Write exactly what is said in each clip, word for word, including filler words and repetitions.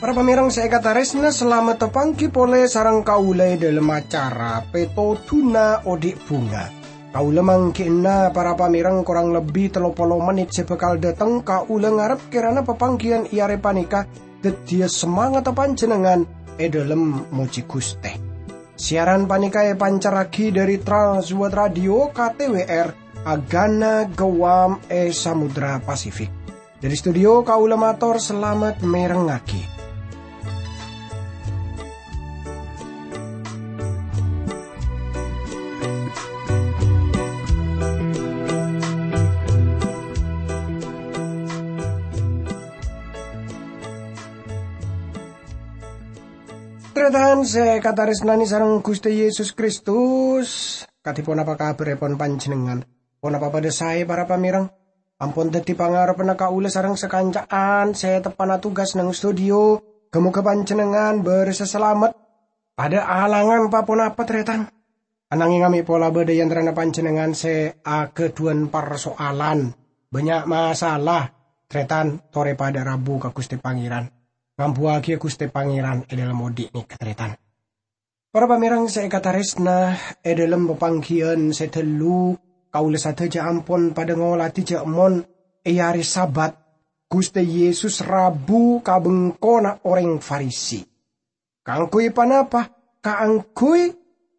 Para pamèrèng sè èkatarèsna, salamet tapangghi polè sareng kaulâ è dhâlem acara Pètodhuna Odhi' Bhunga. Kaulâ mangghi'na para pamèrèng korang lebbi tello polo mennit sè bhâkal dhâteng. Kaulâ ngarep kèrana papangghiyân è arè panèka dhâddhiyâ samangatta panjhennengngan è dhâlem mojhi Ghustè. Siaran panèka èpancarraghi dhâri Trans World Radio K T W R, Agana Guam è Samudra Pasifik. Dhâri studio kaulâ mator salamet mèrengngaghi. Tarètan sè èkatarèsnanè sareng Ghustè Yesus Kristus, kadhi ponapa kabhârrèpon panjhennengngan? Ponapa padhâ saè, para pamèrèng? Ampon dhâddhi pangarebbhânna kaulâ sareng sakanca'an sè teppa'na tugas neng studio. Ghâ-moghâ panjhennengngan bârâssa salamet. Padhâ alangan pa-ponapa, tarètan. Ananging amè' pola bâdâ è antarana panjhennengngan sè aghâdhuwân parsoalan, bânnya' masalah, tarètan, torè padhâ rabu ka Ghustè Pangèran. Ngambuwâghiyâ Ghustè Pangèran è dhâlem odhi' nèka, tarètan. Para pamèrèng sè èkatarèsna, è dhâlem papangghiyân sè dâllu, kaulâ sadhâjâ ampon padhâ ngolatè jhâ' mon è arè Sabat, Ghustè Yesus rabu ka bengkona orèng Farisi. Kaangghuy ponapa? Kaangghuy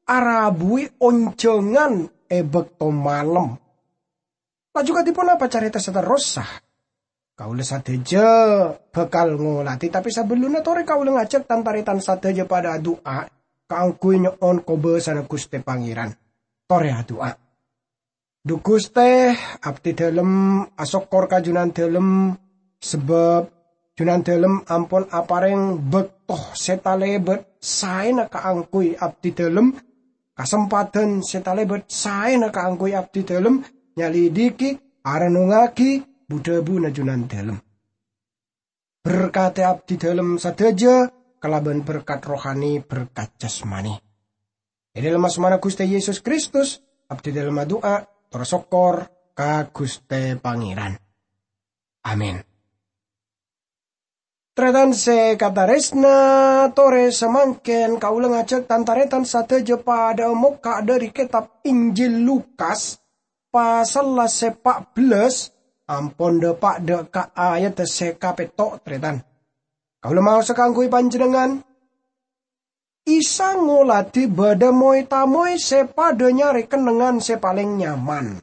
arabuwi onjhângan è bâkto malem. Laju kadhi ponapa carèta saterrossa? Kaulâ sadhâjâ bhâkal ngolatè, tapè sabellunna torè kaulâ ngajhâk tan-tarètan sadhâjâ padhâ adu'a kaangghuy nyo'on kobâsana Ghustè Pangèran. Torè adu'a. Dhu Ghustè, abdhi dhâlem asokkor ka Jhunandhâlem, sabâb Jhunandhâlem ampon aparèng bâkto sè talèbât saèna kaangghuy abdhi dhâlem, kasempadhân sè talèbât saèna kaangghuy abdhi dhâlem nyalidhiki, arennungngaghi bu-dhâbuna Jhunandhâlem. Berkadhi abdhi dhâlem sadhâjâ kalabân berkat rohani, berkat jasmani. È dhâlem asmana Ghustè Yesus Kristus, abdhi dhâlem adu'a, tor sokkor ka Ghustè Pangèran. Amin. Tarètan sè katarèsna, torè samangkèn kaulâ ngajhâk tan-tarètan sadhâjâ padhâ mokka' dhâri kètab Injil Lukas, pasalla sè pa' bellâs, ampon dâpa' dâ' ka ayadda sè kapètto', tarètan. Kaulâ maosa kaangghuy panjhennengngan. Isa ngolatè bâdâ moy-tamoy sè padhâ nyarè kennengngan sè palèng nyaman.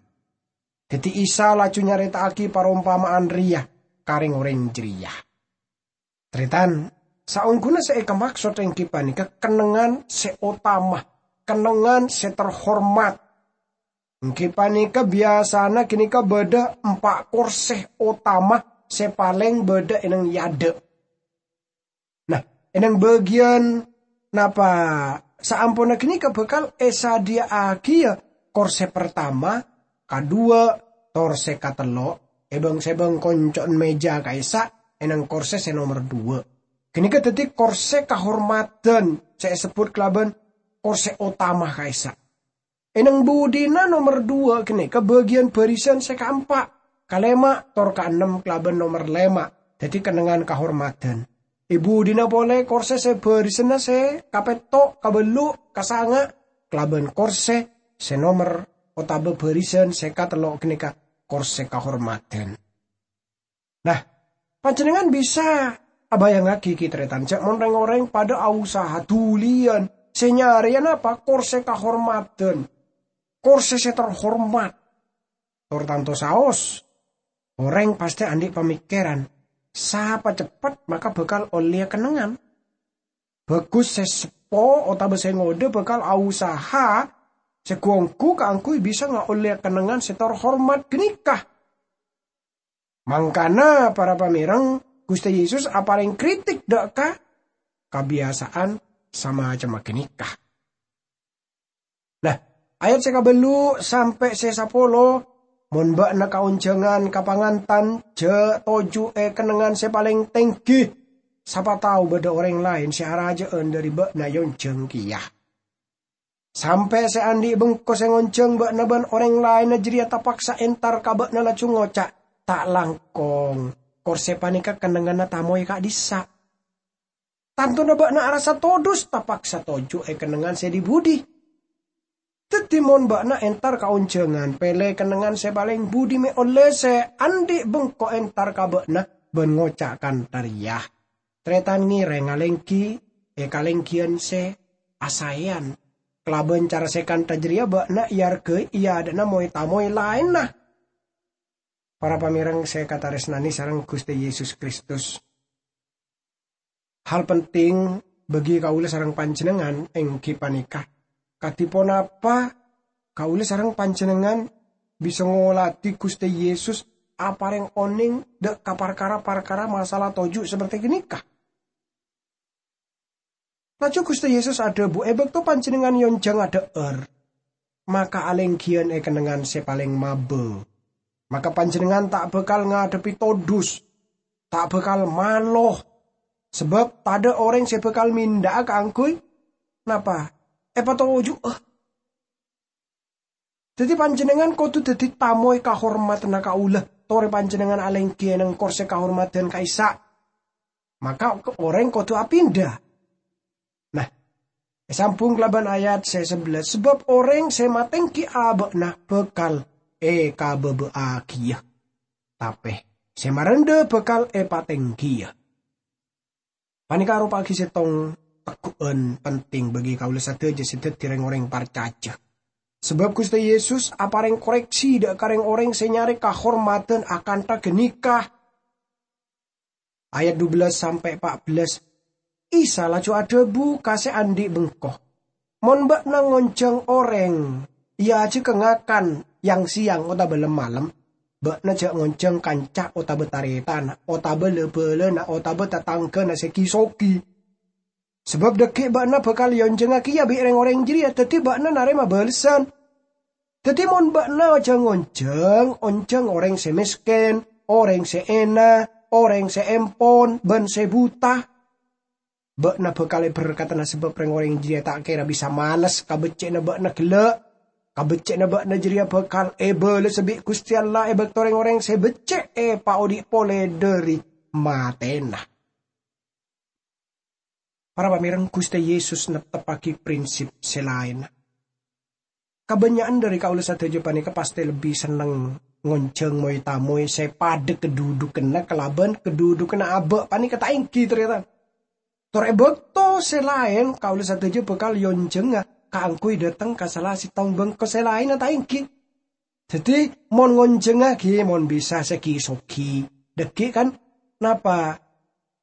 Dhâddhi Isa laju nyarèta'aghi parompama'an rèya ka rèng-orèng jârèya. Tarètan, saongghuna sè èkamaksod èngghi panèka kennengngan sè otama, kennengngan sè terhormat. Èngghi panèka biyasana ghânèka bâdâ empa' korsè otama sè palèng bâdâ è neng è adâ'. Nah, è neng bâgiyân napa saamponna ghânèka bhâkal èsadhiyâ'aghiyâ korsè partama, kadhuwâ', tor sè katello', è bâng-sèbâng konco'na mèja ka'issa' è neng korsè sè nomer dhuwâ'. Ghânèka dhâddhi korsè kahormadhân sè èsebbhut kalabân korsè otama ka'issa'. È neng budina nomer dhuwâ' ghânèka bâgiyân bârisan sè kaempa', kalèma', tor kaennem kalabân nomer lèma', dhâddhi kennengngan kahormadhân. È budina polè korsè sè bârisanna sè kapètto', kabellu', kasanga', kalabân korsè sè nomer otabâ bârisan sè katello' ghânèka korsè kahormadhân. Nah, panjhennengngan bisa abhâjângaghi ghi, tarètan, jhâ' mon rèng-orèng padhâ ausaha dhuliyân sè nyarèya napa? Korsè kahormadhân, korsè sè terhormat. Tor tanto saos, orèng pastè andi' pamèkkèran, sapa ceppet maka bhâkal ollèya kennengngan. Bhâghus sè seppo otabâ sè ngodâ bhâkal ausaha sè ghu-ongghu kaangghuy bisa ngaollèya kennengngan sè terhormat ghânèka. Mangkana, para pamèrèng, Ghustè Yesus aparèng kritik dâ' ka kabiyasa'an samacemma ghânèka. Nah, ayat sè kabellu' sampè' sè sapolo, "Mon bâ'na ka onjhângan ka pangantan, jhâ' toju' è kennengngan sè palèng tèngghi, Sapa tao bâdâ orèng laèn sè arajâ'ân dâri bâ'na èonjhâng kèya. Sampè' sè andi' bengko sè ngonjhâng bâ'na bân orèng laènna jârèya tapaksa entar ka bâ'na laju ngoca', "Ta' langkong, korsè panèka kennengnganna tamoy ka'dhissa'." Tantona bâ'na arassa todus tapaksa toju' è kennengngan sè dhi-budhi. Dhâddhi, mon bâ'na entar ka onjhângan, pèlè kennengngan sè palèng budhi mè' ollè sè andi' bengko entar ka bâ'na bân ngoca' kantha rèya, "Tarètan ngèrèng alèngghi è kalènggiyân sè asaèyan. Kalabân cara sè kantha jârèya bâ'na èarghâi è adâ'na moy-tamoy laènna." Para pamèreng sè èkatarèsnanè sareng Ghustè Yesus Kristus, hal penting bagi kaulâ sareng panjhennengngan èngghi panèka, kadhi ponapa kaulâ sareng panjhennengngan bisa ngoladhi Ghustè Yesus aparèng onèng dâ' ka parkara-parkara masalah toju' saperte ghânèka. Laju Ghustè Yesus adhâbu, "È bâkto panjhennengngan èonjhâng adhâ'âr, maka alènggiyân è kennengngan sè palèng mabâ. Maka panjhennengngan ta' bhâkal ngadhebbhi todus, ta' bhâkal malo, sabâb tadâ' orèng sè bhâkal mindâ'â kaangghuy napa? Èpatoju'â." Dhâddhi, panjhennengngan kodhu dhâddhi tamoy kahormadhânna kaulâ, torè panjhennengngan alèngghi è neng korsè kahormadhân ka'issa'. Maka orèng kodhu apinda. Nah, èsambhung kalabân ayat sè sabellâs, "Sabâb orèng sè matèngghi abâ'na bhâkal èkabâbâ'âghiyâ, tapè sè marendhâ bhâkal èpatèngghiyâ." Panèka aropa'aghi sèttong tegghu'ân penting bagi kaulâ sadhâjâ sè dhâddhi rèng-orèng parcajâ. Sabâb Ghustè Yesus aparèng korèksi dâ' ka rèng-orèng sè nyarè kahormadhân akantha ghânèka. Ayat dubellâs sampè' pa'bellâs, Isa laju adhâbu ka sè andi' bengko, "Mon bâ'na ngonjhâng orèng, èajhâghâ ngakan yang-sèyang otabâ lem-malem, bâ'na jhâ' ngonjhâng kanca otabâ tarètanna, otabâ la-bâlâna, otabâ tatangghâna sè ghi-soghi. Sabâb dhâggi' bâ'na bhâkal èonjhângnga kèya bi' rèng-orèng jârèya, dhâddhi bâ'na narèma bâlessan. Dhâddhi mon bâ'na jhâ' ngonjhâng, onjhâng orèng sè mèskèn, orèng sè èna, orèng sè èmpon, bân sè buta. Bâ'na bhâkal èberkadhâna sabâb rèng-orèng jârèya ta' kèra bisa males ka beccè'na bâ'na ghellâ'. Ka beccè'na bâ'na jârèya bhâkal èbâlâsa bi' Ghustè Allah è bâkto rèng-orèng sè beccè' èpaodi' polè dhâri matèna." Para pamèreng, Ghustè Yesus nepteppaghi prinsip sè laènna. Kabânnya'an dhâri kaulâ sadhâjâ panèka pastè lebbi senneng ngonjhâng moy-tamoy sè padâ kadhudhukanna kalabân kadhudhukanna abâ' panèka, ta' èngghi, tarètan? Tor è bâkto sè laèn, kaulâ sadhâjâ bhâkal èonjhângnga kaangghuy dhâteng ka sala sèttong bengko sè laènna, ta' èngghi? Dhâddhi, mon ngonjhângnga ghi, mon bisa sè ghi-soghi. Dhâggi' kan, napa?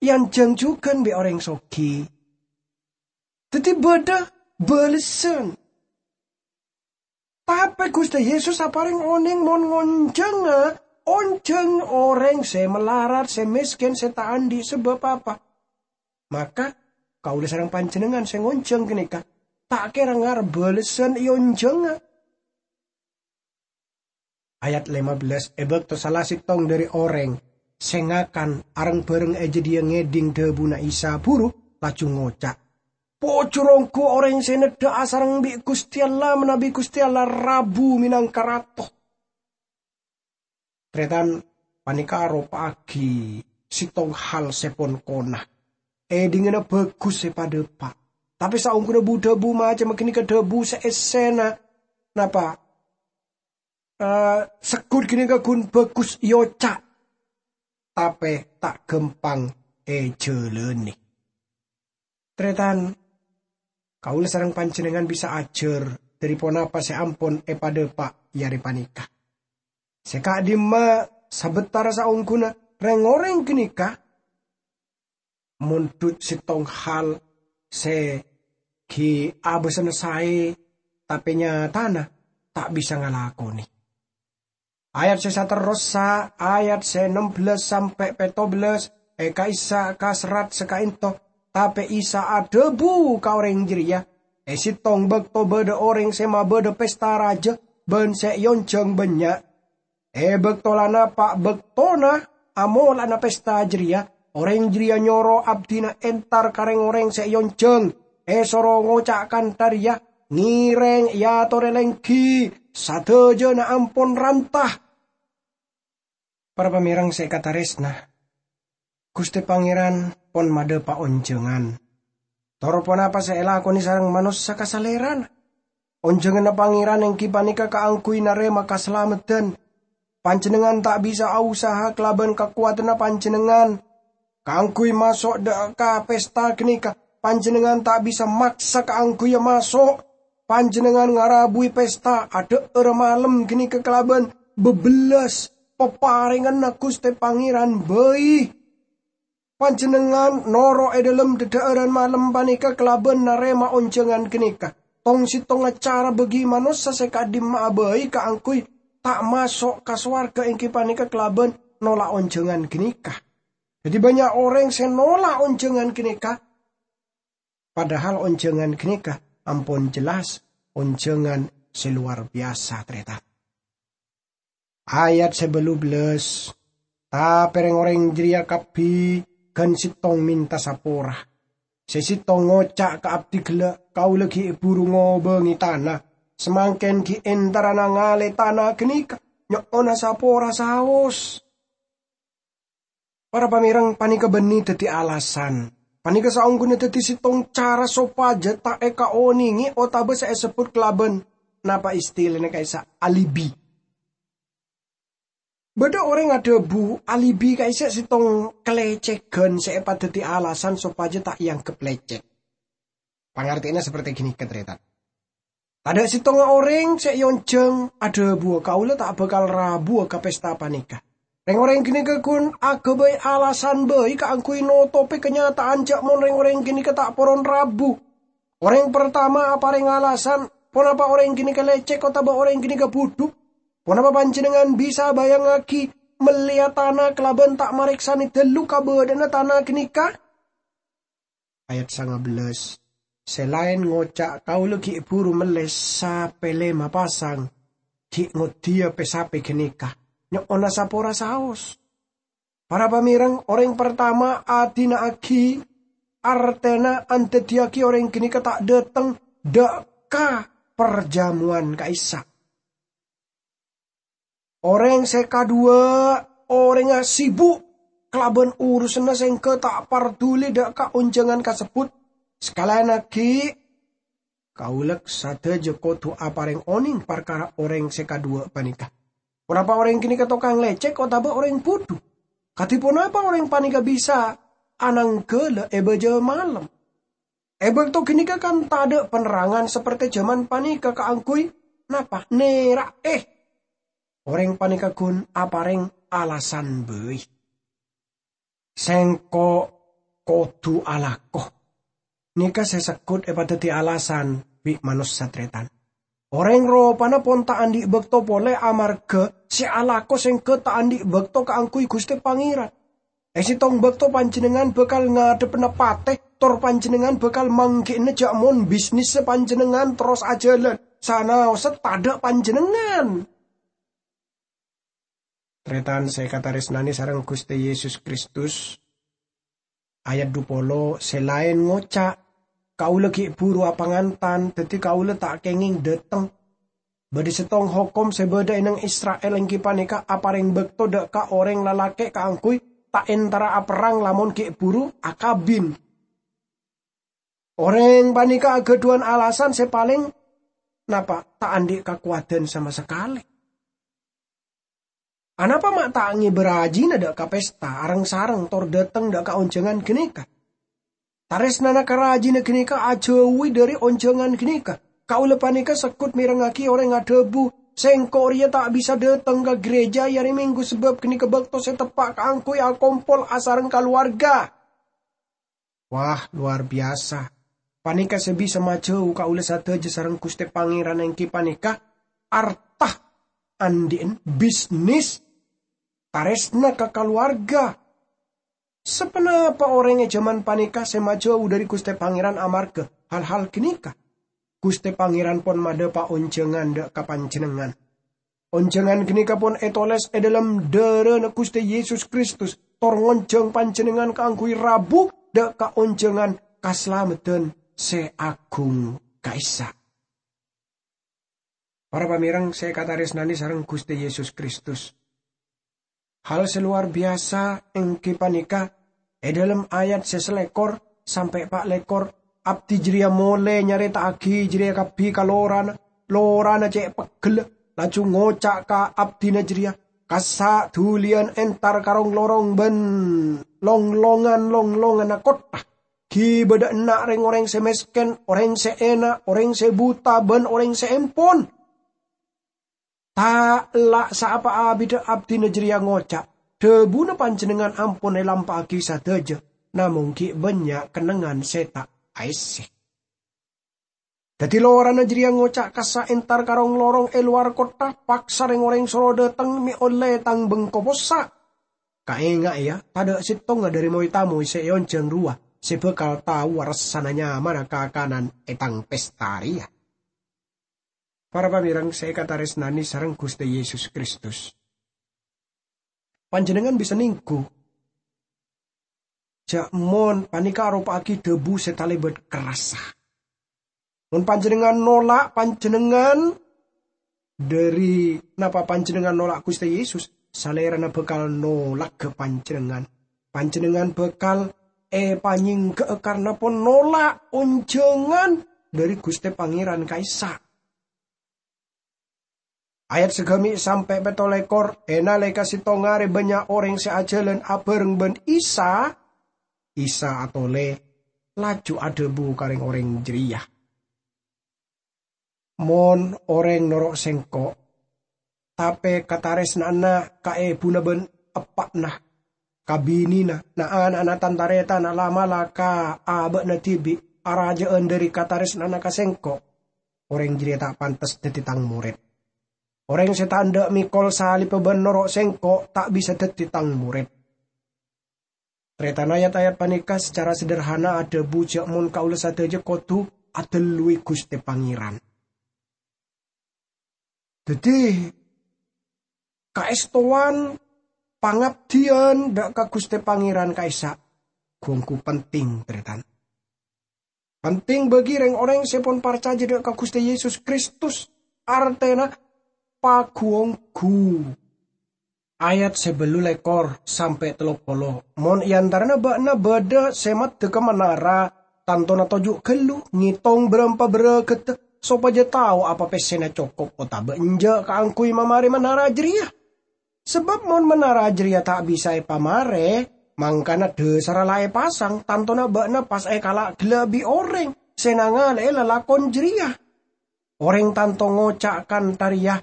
Èonjhâng jhughân bi' orèng soghi. Dhâddhi bâdâ bâlessan. Tapè Ghustè Yesus aparèng onèng mon ngonjhângnga, onjhâng orèng sè malarat, sè mèskèn, sè ta' andi' sabâb apa. Maka, kaulâ sareng panjhennengngan sè ngonjhâng ghânèka, ta' kèra ngarep bâlessan èonjhângnga. Ayat lèma bellâs, è bâkto sala sèttong dhâri orèng sè ngakan areng-bhâreng è jâdiyâ ngèdhing dhâbuna Isa buru, laju ngoca', "Pojhur ongghu orèng sè neddhâ asareng bi' Ghustè Allah manabi Ghustè Allah rabu mènangka Rato." Tarètan, panèka aropa'aghi sèttong hal sè pon-kona. Èdhingngana bhâghus sè padâpa'. Tapè saongghuna bu-dhâbu macemma ghânèka dhâbu sè èssèna. Napa? Eh, segghut ghânèka ghun bhâghus èoca', tapè ta' ghâmpang èjhâlânè. Tarètan, kaulâ sareng panjhennengngan bisa ajhâr dhâri ponapa sè ampon èpadâpa' è arè panèka. Sè ka'dimma, sabâtara saongghuna rèng-orèng ghânèka mondhut sèttong hal sè ghi' abâsana saè, tapè nyatana ta' bisa ngalakonè. Ayat sè saterrossa, ayat sè nem bellâs sampè' pètto bellâs, è ka'issa' ka serrat sè ka'ènto, tapè Isa adhâbu ka orèng jârèya, "È sèttong bâkto bâdâ orèng sè mabâdâ pèsta rajâ bân sè èonjhâng bânnya'. È bâkto la napa' bâktona amola'ana pèsta jârèya, Orèng jârèya nyoro abdhina entar ka rèng-orèng sè èonjhâng, èsoro ngoca' kantha rèya, 'Ngèrèng èyatorè lèngghi, sadhâjâna ampon ranta.' Para pamèreng sè èkatarèsna, Ghustè Pangèran pon madhâpa' onjhângan. Tor ponapa sè èlakonè sareng manossa ka Salèrana? Onjhânganna Pangèran èngghi panèka kaangghuy narèma kasalameddhân. Panjhennengngan ta' bisa ausaha kalabân kakowadhânna panjhennengngan kaangghuy maso' dâ' ka pesta ghânèka. Panjhennengngan ta' bisa maksa kaangghuy maso'. Panjhennengngan ngarabuwi pesta adhâ'ârâ malem ghânèka kalabân bâbellâs paparènganna Ghustè Pangèran bhâi. Panjhennengngan noro' è dhâlem dhâdhâ'ârân malem panèka kalabân narèma onjhângan ghânèka. Tong-settongnga cara bâgi manossa sè ka'dimma'a bhâi kaangghuy ta' maso' ka sowarghâ èngghi panèka kalabân nola' onjhângan ghânèka. Dhâddhi, bânnya' orèng sè nola' onjhângan ghânèka, padahal onjhângan ghânèka ampon jelas onjhângan sè lowar biyasa, tarètan. Ayat sè bâllu bellâs, "Tapè rèng-orèng jârèya kabbhi ghân settong mènta sapora. Sè settong ngoca' ka abdhi ghellâ', 'Kaulâ ghi' bhuru ngobângè tana, samangkèn ghi' èntarana ngalè tana ghânèka, nyo'ona sapora saos.'" Para pamèreng, panèka bânnè dhâddhi alasan. Panèka saongghuna dhâddhi settong cara sopajâ ta' èkaonèngè otabâ sè èsebbhut kalabân, napa istilana ka'issa', alibi. Bâdâ orèng adhâbu alibi ka'issa' settong kalècèghân sè èpadhâddhi alasan sopajâ ta' èangghep lècèk. Pangartèyanna saperti ghânèka, tarètan. Tadâ' settonga orèng sè èonjhâng adhâbuwâ, "Kaulâ ta' bhâkal rabuwâ ka pesta panèka." Rèng-orèng ghânèka ghun aghâbây alasan bhâi kaangghuy notobhi kanyata'an jâ' mon rèng-orèng ghânèka ta' poron rabu. Orèng partama aparèng alasan, ponapa orèng ghânèka lècèk otabâ orèng ghânèka budhu? Ponapa panjhennengngan bisa abayangngaghi mellèya tana kalabân ta' marèksanè dâllu kabâdâ'ânna tana ghânèka? Ayat sanga bellâs, sè laèn ngoca', "Kaulâ ghi' bhuru mellè sapè lèma pasang, ghi' ngoddhiyâ pè-sapè ghânèka, nyo'ona sapora saos." Para pamèreng, orèng partama adina'aghi, artèna andhâddhiyâghi orèng ghânèka ta' dâteng dâ' ka parjâmowan ka'issa'. Orèng sè kaduwâ', orèngnga sibuk kalabân urusanna sèngghâ ta' parduli dâ' ka onjhângan kasebbhut. Sakalèyan aghi', kaulâ sadhâjâ kodhu aparèng onèng parkara orèng sè kaduwâ' panèka. Ponapa orèng ghânèka tokang lècèk otabâ orèng budhu? Kadhi ponapa orèng panèka bisa ananggâlâ è bâjâ malem? È bâkto ghânèka kan tadâ' panerrangan saperte jhâman panèka kaangghuy napa? Nèra'è. Orèng panèka ghun aparèng alasan bhâi. "Sèngko' kodhu alako." Nèka sè segghut èpadhâddhi alasan bi' manossa tarètan. Orèng ropana pon ta' andi' bâkto polè amarghâ sè alako sèngghâ ta' andi' bâkto kaangghuy Ghustè Pangèran. È sèttong bâkto panjhennengngan bhâkal ngadhebbhâna patè, tor panjhennengngan bhâkal mangghi'na jhâ' mon bisnissa panjhennengngan terros ajhâlân, sanaossa tadâ' panjhennengngan. Tarètan sè èkatarèsnanè sareng Ghustè Yesus Kristus, ayat dhu polo, sè laèn ngoca', "Kaulâ ghi' bhuru apangantan, dhâddhi kaulâ ta' kèngèng dâteng." Bâdâ sèttong hokom sè bâdâ è neng Isra'il èngghi panèka aparèng bâkto dâ' ka orèng lalakè' kaangghuy ta' entara aperrang lamon ghi' bhuru akabin. Orèng panèka aghâdhuwân alasan sè palèng napa? Ta' andi' kakowadhân sama sakalè. Anapa ma' ta' ngèbâ rajina dâ' ka pesta areng-sareng tor dâteng dâ' ka onjhângan ghânèka? Tarèsnana ka rajina ghânèka ajhâuwi dhâri onjhângan ghânèka. Kaulâ panèka segghut mèrengngaghi orèng adhâbu, "Sèngko' rèya ta' bisa dâteng ka gereja è arè Minggu sabâb ghânèka bâkto sè teppa' kaangghuy akompol asareng kalowarga." Wah, lowar biyasa! Panèka sè bisa majhâu kaulâ sadhâjâ sareng Ghustè Pangèran èngghi panèka arta, andi'na bisnis, tarèsna ka kalowarga. Saponapa orèng è jhâman panèka sè majhâu dhâri Ghustè Pangèran amarghâ hal-hal ghânèka? Ghustè Pangèran pon madhâpa' onjhângan dâ' ka panjhennengngan. Onjhângan ghânèka pon ètolès è dhâlem dhârâna Ghustè Yesus Kristus, tor ngonjhâng panjhennengngan kaangghuy rabu dâ' ka onjhângan kasalameddhân sè aghung ka'issa'. Para pamèreng sè èkatarèsnanè sareng Ghustè Yesus Kristus, hal sè lowar biyasa èngghi panèka, è dhâlem ayat sè salèkor sampè' pa' lèkor, abdhi jârèya molè nyarèta'aghi jârèya kabbhi ka lorana. Lorana cè' peggella, laju ngoca' ka abdhina jârèya, "Kassa' dhuliyân entar ka rong-lorong bân long-longan-longlonganna kottha. Ghi' bâdâ enna' rèng-orèng sè mèskèn, orèng sè èna', orèng sè buta, bân orèng sè empon." Ta' ella' saapa abidda abdhina jârèya ngoca', "Dhâbuna panjhennengngan ampon èlampa'aghi sadhâjâ, namong ghi' bânnya' kennengngan sè ta' aèssè." Dhâddhi lorana jârèya ngoca', "Kassa' entar ka rong-lorong è lowar kottha, paksa rèng-orèng soro dâteng mè' ollè tang bengko possa'." Kaènga'a, yâ, tadâ' sèttonga dhâri moy-tamoy sè èonjhâng rowa sè bhâkal tao aressana nyamana kakanan è tang pesta rèya. Para pamèreng sè èkatarèsnanè sareng Ghustè Yesus Kristus, panjhennengngan bisa nèngghu jâ' mon panèka aropa'aghi dhâbu sè talèbât kerrassa. Mon panjhennengngan nola', panjhennengngan dhâri napa panjhennengngan nola' Ghustè Yesus, Salèrana bhâkal nolaghâ panjhennengngan. Panjhennengngan bhâkal èpanyèngghâ'â karna pon nola' onjhângan dhâri Ghustè Pangèran ka'issa'. Ayat sagâmè' sampè' pètto lèkor, è nalèka sèttong arè bânnya' orèng sè ajhâlân abhâreng bân Isa, Isa atolè, laju adhâbu ka rèng-orèng jârèya, "Mon orèng noro' Sèngko', tapè katarèsna'anna ka èbhuna bân eppa'na, ka binèna, na'-ana'na, tan-tarètanna la'-mala' ka aba'na dhibi' arajâ'ân dhâri katarèsna'anna ka Sèngko', orèng jârèya ta' pantes dhâddhi Tang morèd. Orèng sè ta' endâ' mèkol salibbhâ bân noro' Sèngko' ta' bisa dhâddhi Tang morèd." Tarètan ayat-ayat panèka sacara sederhana adhâbu jâ' mon kaulâ sadhâjâ kodhu adhâlluwi Ghustè Pangèran. Dhâddhi, kaèstowan pangabdiyân dâ' ka Ghustè Pangèran ka'issa' ghu-ongghu penting, tarètan. Penting bagi rèng-orèng sè pon parcajâ dâ' ka Ghustè Yesus Kristus, artèna paghu-ongghu. Ayat sè bâllu lèkor sampè' tello polo. "Mon è antarana bâ'na bâdâ sè maddhâgghâ manara, tantona toju' ghâllu ngètong bârâmpa bârâghâddhâ, sopajâ tao apa pèssèna cokop otabâ enjâ' kaangghuy mamarè manara jârèya. Sabâb mon manara jârèya ta' bisa èpamarè, mangkana dhâsarra la èpasang, tantona bâ'na pas èkala' ghellâ' bi' orèng sè nangalè'è lalakon jârèya. Orèng tanto ngoca' kantha rèya,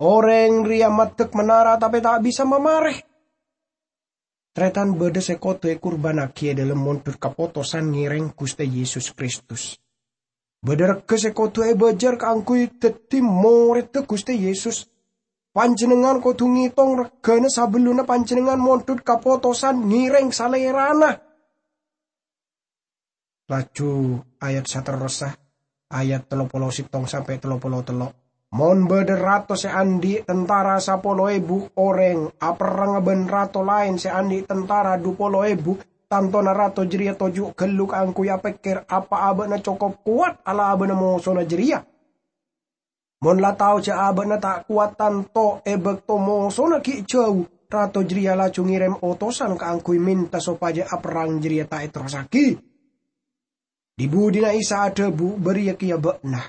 'Orèng rèya maddhâk manara tapè ta' bisa mamarè.'" Tarètan bâdâ sè kodhu èkurbânnaghi è dhâlem mondhut kapotosan ngèrèng Ghustè Yesus Kristus. Bâdâ règhâ sè kodhu èbâjâr kaangghuy dhâddhi morèdda Ghustè Yesus. Panjhennengngan kodhu ngètong règhâna sabellunna panjhennengngan mondhut kapotosan ngèrèng Salèrana. Laju ayat saterrossa, ayat tello polo sèttong sampè' tello polo tello'. "Mon bâdâ rato sè andi' tentara sapolo èbu orèng aperrang bân rato laèn sè andi' tentara dhu polo èbu, tantona rato jârèya toju' ghâllu kaangghuy apèkkèr apa'a bâ'na cokop kowat alabâna mosona jârèya. Mon la tao jâ' abâ'na ta' kowat tanto è bâkto mosona ghi' jhâu, rato jârèya laju ngèrèm otosan kaangghuy mènta sopajâ aperrang jârèya ta' èterrossaghi." Dhi-budhina Isa adhâbu, "Bâriyâ kèya bâ'na.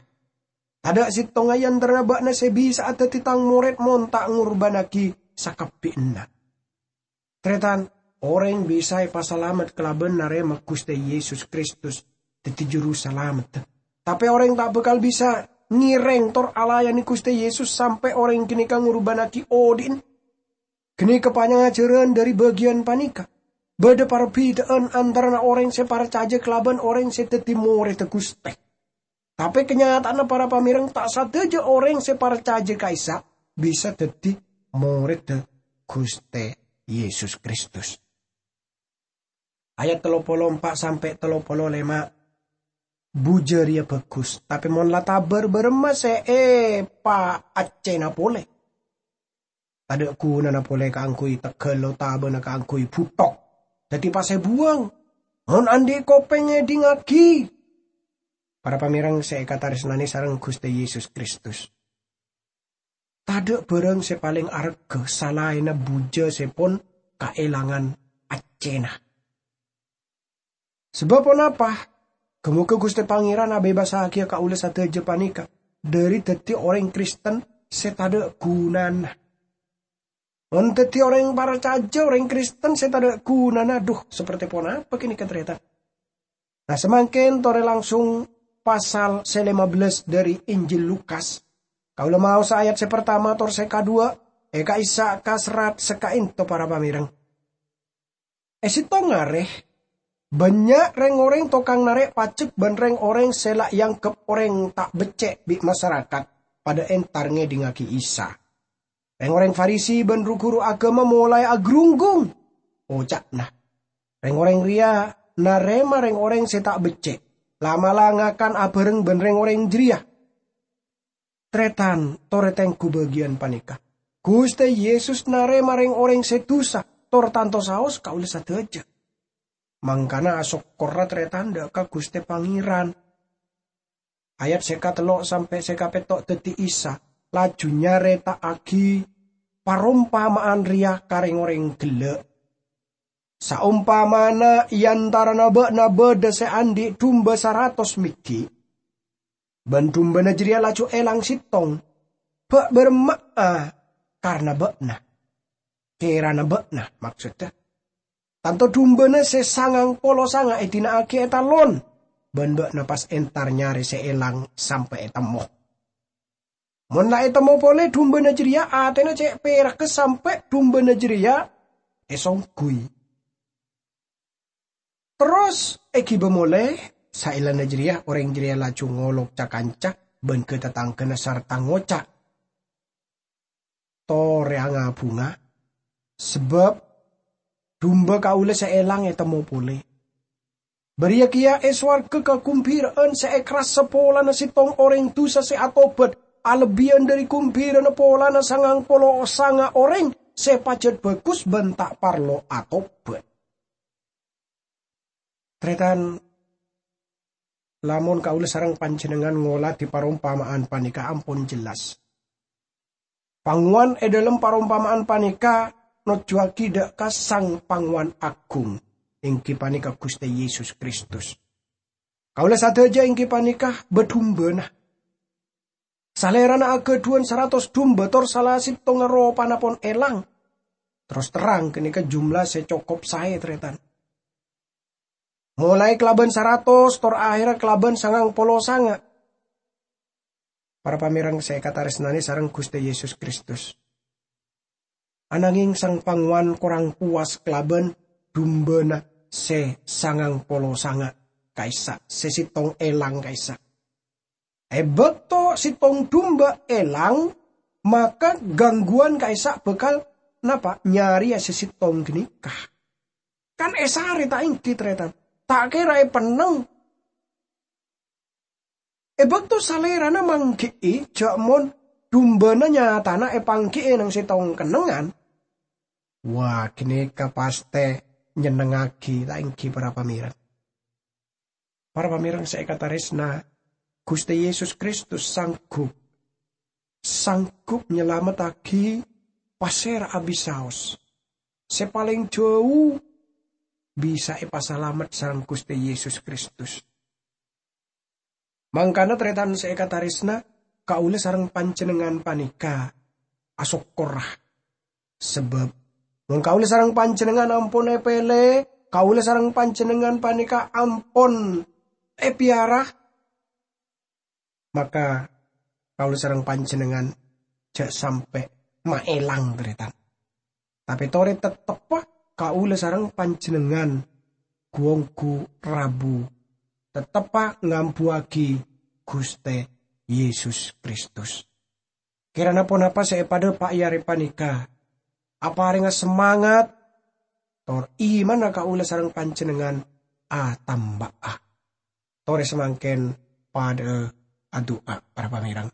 Tadâ' sèttonga è antarana bâ'na sè bisa'a dhâddhi Tang morèd mon ta' ngorbânnaghi sakabbhiyanna." Tarètan, orèng bisa èpasalamet kalabân narèma Ghustè Yesus Kristus dhâddhi Jurusalameddhâ. Tapè orèng ta' bhâkal bisa ngèrèng tor alayanè Ghustè Yesus sampè' orèng ghânèka ngorbânnaghi odhi'na. Ghânèka panyajhârân dhâri bâgiyân panèka. Bâdâ parbhidhâ'ân antarana orèng sè parcajâ kalabân orèng sè dhâddhi morèdda Ghustè. Tapè kanyata'anna para pamèreng ta' sadhâjâ orèng sè parcajâ ka Isa bisa dhâddhi morèdda Ghustè Yesus Kristus. Ayat tello polo empa' sampè' tello polo lèma'. Bujâ rèya bhâghus, tapè mon la tabâr bârâmma sè èpaaccèna polè? Tadâ' ghunana polè kaangghuy tegghâl otabâna kaangghuy bhuthok. Dhâddhi pas èbuwâng. Mon andi' kopèng, ngèdhingngaghi. Para pamèreng sè èkatarèsnanè sareng Ghustè Yesus Kristus. Tadâ' bhârâng sè palèng arghâ salaènna bujâ sè pon kaèlangan accèna. Sabâb ponapa? Ghâ-mogâ Ghustè Pangèran abhebassaghiyâ kaulâ sadhâjâ panèka dhâri dhâddhi orèng Kristen sè tadâ' ghunana. Mon dhâddhi orèng parcajâ, orèng Kristen sè tadâ' ghunana, dhu, sapertè ponapa kènè', tarètan? Nah, samangkèn torè langsung pasal sè lèma bellâs dhâri Injil Lukas. Kaulâ maosa ayat sè partama tor sè kaduwâ', è ka'issa' ka serrat sè ka'ènto, para pamèreng. È sèttong arè, bânnya' rèng-orèng tokang narè' pajek bân rèng-orèng sè la èangghep orèng ta' beccè' bi' masarakat padâ entar ngèdhingngaghi Isa. Rèng-orèng Farisi bân ru-ghuru aghâma molaè agrunggung. Oca'na, "Rèng-orèng rèya narèma rèng-orèng sè ta' beccè', la'-mala' ngakan abhâreng bân rèng-orèng jârèya." Tarètan, torè tengghu bâgiyân panèka. Ghustè Yesus narèma rèng-orèng sè dusa, tor tanto saos kaulâ sadhâjâ. Mangkana asokkorra tarètan dâ' ka Ghustè Pangèran. Ayat sè katello' sampè' sè kapètto' dhâddhi Isa, laju nyarèta'aghi parompama'an rèya ka rèng-orèng ghellâ'. "Saompamana è antarana bâ'na bâdâ sè andi' dumba saratos mèghi', bân dumbana jârèya laju èlang sèttong, bâ' bârâmma'a karna bâ'na?" Kèrana bâ'na, maksodda, tanto dumbana sè sangang polo sanga' èdina'aghi ètalon, bân bâ'na pas entar nyarè sè èlang sampè' ètemmo. Mon la ètemmo polè dumbana jârèya, atèna cè' pèragghâ sampè' dumbana jârèya èsongghuy. Terros èghibâ molè, saellana jârèya orèng jârèya laju ngolok ca-kanca bân ghâ-tatangghâna sarta ngoca', "Torè nga-bhunga, sabâb dumba kaulâ sè èlang ètemmo polè." Bâriyâ kèya è sowarghâ kaghembhira'an sè èkarassa polana sèttong orèng dusa sè atobhât, alebbiyân dhâri ghembhirana polana sangang polo sanga' orèng sè pajhât bhâghus bân ta' parlo atobhât. Tarètan, lamon kaulâ sareng panjhennengngan ngolatè parompama'an panèka ampon jellas. Pangowan è dhâlem parompama'an panèka nojjuwaghi dâ' ka Sang Pangowan Aghung, èngghi panèka Ghustè Yesus Kristus. Kaulâ sadhâjâ èngghi panèka bâ-dumbana. Salèrana aghâdhuwân saratos dumba tor sala sèttongnga ropana pon èlang. Terros terrang, ghânèka jumlah sè cokop saè, tarètan. Molaè kalabân saratos tor ahèrra kalabân sangang polo sanga'. Para pamèreng sè èkatarèsnanè sareng Ghustè Yesus Kristus. Anangèng sang pangowan korang powas kalabân dumbana sè sangang polo sanga' ka'issa', sè sèttong èlang ka'issa'. È bâkto sèttong dumba èlang, maka gangguwan ka'issa' bhâkal napa? Nyarèya sè sèttong ghânèka. Kan èsarè ta' èngghi, tarètan? Ta' kèra èpennèng. È bâkto salèrana mangghi'i jhâ' mon dumbana nyatana èpangghi'i neng sèttong kennengngan, wah, ghânèka pastè nyennengngaghi, ta' èngghi, para pamèreng? Para pamèreng sè èkatarèsna, Ghustè Yesus Kristus sanggup, sanggup nyalamettaghi pasèra abisaos. Sè palèng jhâu bisa èpasalamet sareng Ghustè Yesus Kristus. Mangkana, tarètan sè èkatarèsna, kaulâ sareng panjhennengngan panèka asokkorra. Sabâb, mon kaulâ sareng panjhennengngan ampon èpèlè, kaulâ sareng panjhennengngan panèka ampon èpèyara, maka kaulâ sareng panjhennengngan jhâ' sampè' maèlang, tarètan. Tapè torè tetteppa kaulâ sareng panjhennengngan ghu-ongghu rabu, tetteppa ngambuwâghi Ghustè Yesus Kristus. Kèrana ponapa sè èpadâpa'a è arè panèka aparènga samangat, tor imanna kaulâ sareng panjhennengngan atamba'a. Torè samangkèn padâ'â adu'a, para pamèreng.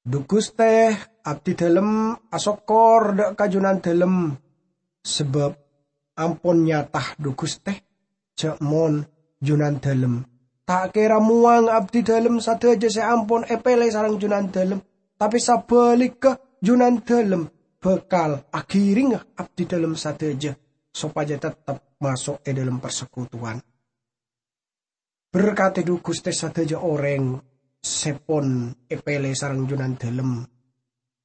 Dhu Ghustè, Abdidalem asokkor dâ' ka Junandalem, sabâb ampon nyata, dhu Ghustè, jhâ' mon Junandalem ta' kèra mowang abdidalem sadhâjâ sè ampon èpèlè sareng Junandalem, tapè sabhâligghâ, Junandalem bhâkal aghirènga abdidalem sadhâjâ sopajâ tettep maso' è dâlem parsekutuwan. Berkadhi, dhu Ghustè, sadhâjâ orèng sè pon èpèlè sareng Junandalem,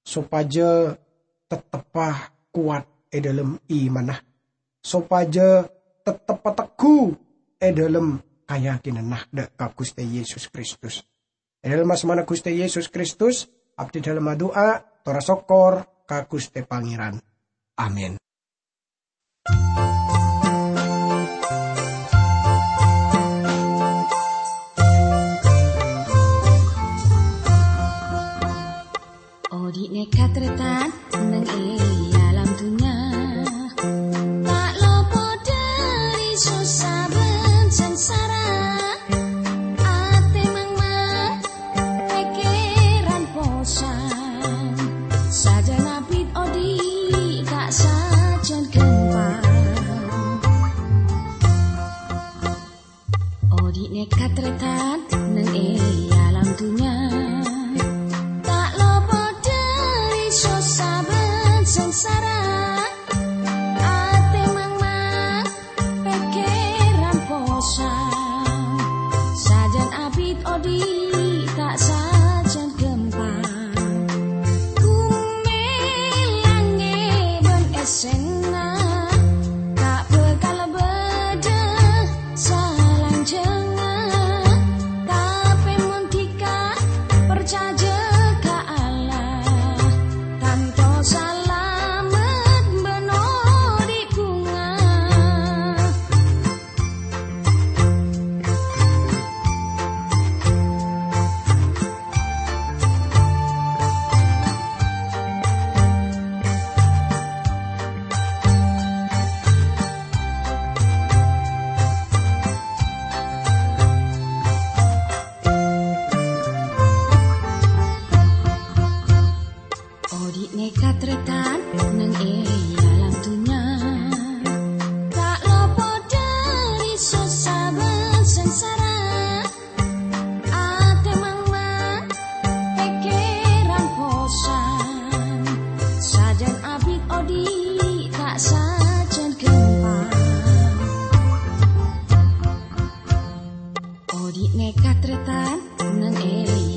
sopajâ tetteppa kowat è dâlem imanna, sopajâ tetteppa pategghu è dâlem kayakinanna dâ' ka Ghustè Yesus Kristus. È dâlem asmana Ghustè Yesus Kristus, abdidalem adu'a, tor asokkor ka Ghustè Pangèran. Amin. Odi' nèka tarètan neng è alam dunnya, ta' lopo dhâri sossa bân sangsara. Atè mangmang, pèkkèran posang, sajân abit odi' ta' sajân ghâmpang. Odi' nèka tarètan neng è alam dunnya, ta' lopo dhâri sossa bân sangsara. Atè mangmang, pèkkèran posang, sajân abit odi' ta' sajân ghâmpang. Bhumè, langngè' bân essèna ta' bhâkal bâdâ salanjhângnga, tapè mon dhika parcajâ ka Allah, tanto salamet bân odi' bhunga. Odi' nèka tarètan neng è alam dunnya, ta' lopo dhâri sossa bân sangsara. Atè mangmang, pèkkèran posang, sajân abit odi' ta' sajân ghâmpang. Odi' nèka tarètan neng è